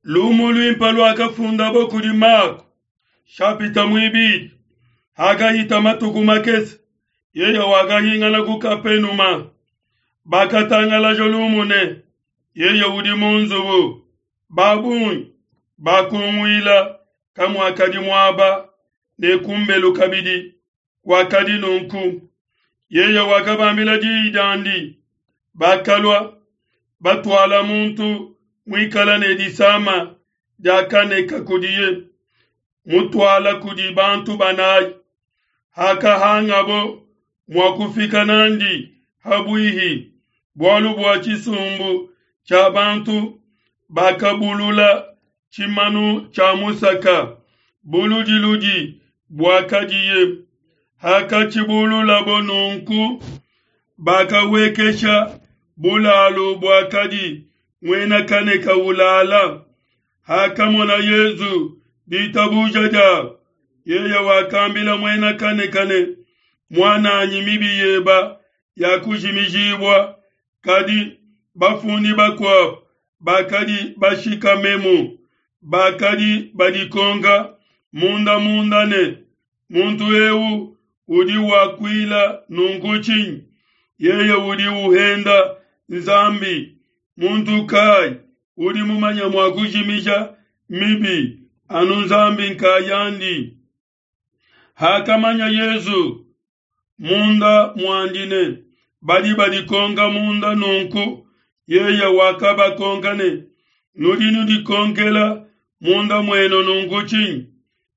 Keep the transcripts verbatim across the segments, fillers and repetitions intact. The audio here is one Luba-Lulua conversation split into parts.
Lumu luimpe luakafundabo kudi Mako, shapita muibidi. Hakahita matuku makese, yeye wakahingana ku Kapenuma. Bakatangalaja lumu ne, yeye udi mu nzubu. Ba bungi bakunguila kamuakadi muaba, ne kumbelu kabidi kwakadi nunku. Yeye wakabambila diyi diandi. Bakalua batuala muntu muikala ne disama dia kaneka kudiye, mutuala kudi bantu banayi. Hakahangabo mua kufika nandi habuihi, bualu bua tshisumbu tshia bantu, bakabulula tshimanu tshia musaka buludiludi buakadiye. Hakatshibululabo nunku, bakawekesha bulalu buakadi muena kaneka ulala. Hakamona Yesu ditabuja diabo, yeye wakambila muena kaneka ne, muananyi, mibi yeba yakujimijibua. Kadi bafundi bakuabo bakadi bashikamemu, bakadi badikonka munda munda ne, muntu eu udi wakuila nunku tshinyi? Yeye udi uhenda Nzambi. Muntu kai udi mumanye mua kujimija mibi anu Nzambi nkayandi? Hakamanya Yesu munda muandi ne, badi badikonka munda nunku, yeye wakabakonka ne, nudi nudikonkela munda muenu nunku tshinyi?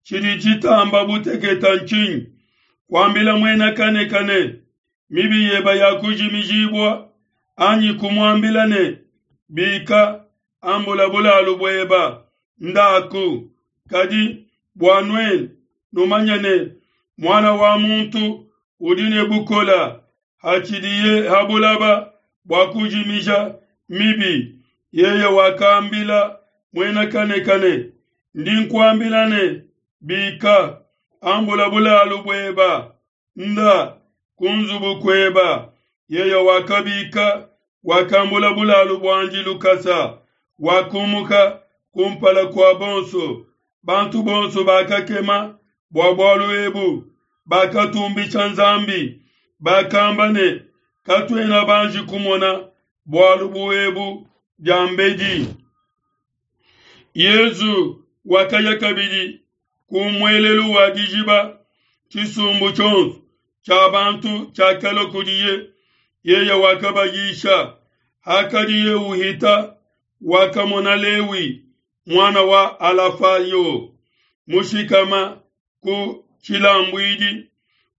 Tshidi tshitamba buteketa ntshinyi? Kuambila muena kaneka ne, mibi yeba yakujimijibua, anyi kumuambila ne, bika, ambula bulalu bueba, ndaku. Kadi bua nuenu numanye ne, Muana wa muntu udi ne bukola hatshidiye ha bulaba bua kujimija mibi. Yeye wakambila muena kaneka ne, ndi nkuambila ne, bika, ambula bulalu bueba, nda ku nzubu kueba. Yeye wakabika, wakambula bulalu buandi lukasa, wakumuka kumpala kua bonso. Bantu bonso bakakema bua bualu ebu, bakatumbisha Nzambi, bakamba ne, katuena banji kumona bualu bu ebu diambedi. Yesu wakaya kabidi ku muelelu wa dijiba, tshisumbu tshionso tshia bantu tshiakalua kudiye. Yeye wakabayisha. Hakadiye uhita, wakamona Lewi muana wa Alafayo mushikama ku tshilambuidi,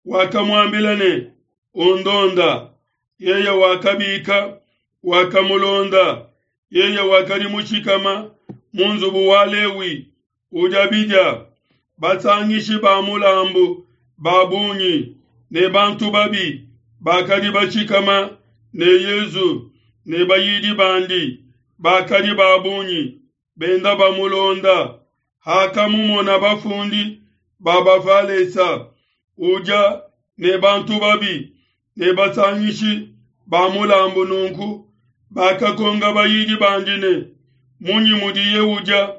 wakamuambila ne, undonda. Yeye wakabika, wakamulonda. Yeye wakadi mushikama mu nzubu wa Lewi udia bidia. Basangishi ba mulambu ba bungi ne bantu babi bakadi bashikama ne Yesu ne bayidi bandi bakadi ba bungi benda bamulonda. Hakamumona bafundi ba Bafalesa udia ne bantu babi ne basangishi ba mulambu nunku, bakakonka bayidi bandi ne, munyi mudiye udia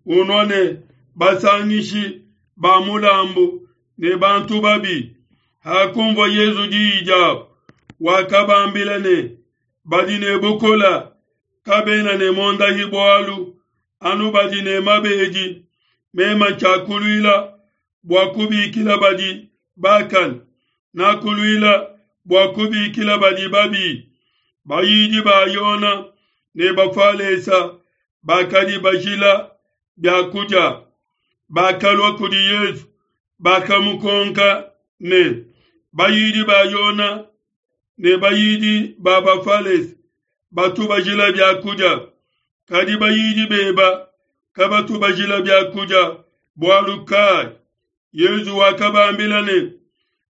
unua ne basangishi ba mulambu ne bantu babi? Hakumvua Yesu diyi diabo, wakabambila ne, badi ne bukola kabena ne mondahi bualu, anu badi ne mabedi. Mema ntshiakuluila bua kubikila badi bakane, nakuluila bua kubikila badi babi. Bayidi ba Yona ne Bafalesa bakadi bajila bia kudia, bakalua kudi Yesu, bakamukonka ne, bayidi ba Yona ne bayidi ba Bafalesa batu bajila bia kudia, kadi bayidi beba kabatu bajila bia kudia bualu kai? Yesu wakabambila ne,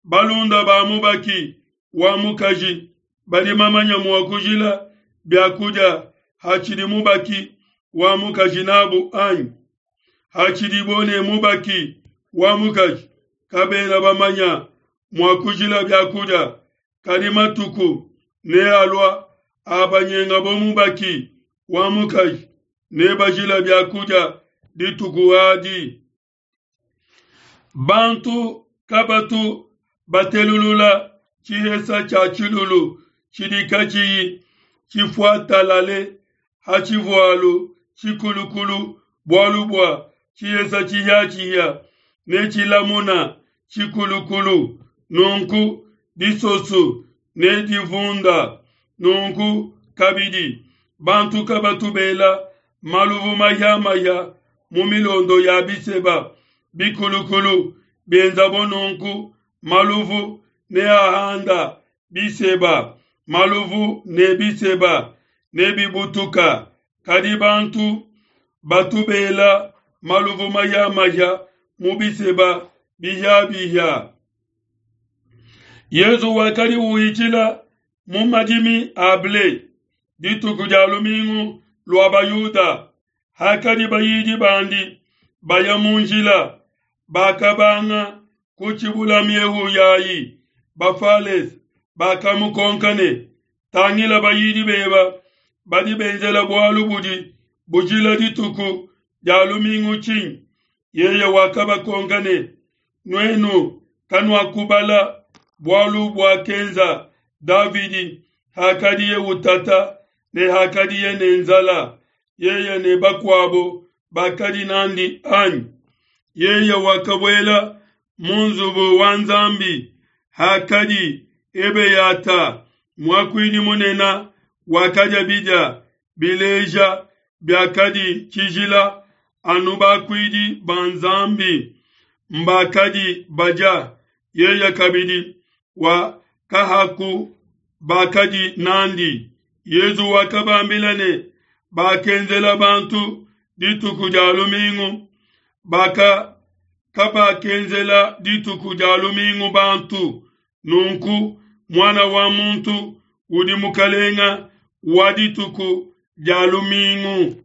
balunda ba mubaki wa mukaji badi mamanya mua kujila bia kudia hatshidi mubaki wa mukaji nabu anyi? Hatshidibo ne mubaki wa mukaji kabena bamanya mua kujila bia kudia, kadi matuku nealua abanyengabo mubaki wa mukaji, Nebajile biakudia dituku adi. Bantu kabatu batelulula tshihesa tshia tshilulu tshidi katshiyi tshifuatalale ha tshivualu tshikulukulu, bualu bua tshihesa tshihiatshihia netshilamuna tshikulukulu, nunku disosu ne divunda. Nunku kabidi bantu kabatu bela maluvu mahia-mahia mu milondo ya biseba bikulukulu, bienzabo nunku maluvu neahanda biseba, maluvu ne biseba nebibutuka. Kadi bantu batu bela maluvu mahia-mahia mu biseba bihia-bihia. Yezu wakadi uhitshila mu madimi a ble dituku dia lumingu lua Bayuda. Hakadi bayidi bandi baya mu njila, bakabanga kutshibula miehu yayi. Bafalese bakamukonka ne, Tangila, bayidi beba badi benzela bualu budi bujila dituku dia lumingu tshinyi? Yeye wakabakonka ne, Nuenu kanuakubala bualu buakenza Davidi hakadiye utata ne hakadiye ne nzala, yeye ne bakuabo bakadi n'andi, anyi? Yeye wakabuela mu nzubu wa Nzambi hakadi Ebeyata muakuidi munene, wakadia bidia bileja biakadi tshijila, anu bakuidi ba Nzambi mbakadi badia, yeye kabidi wakahaku bakadi n'andi. Yezu wakabambila ne, Bakenzela bantu dituku dia lumingu, baka kabakenzela dituku dia lumingu bantu. Nunku Muana wa muntu udi mukalenga wa dituku dia lumingu.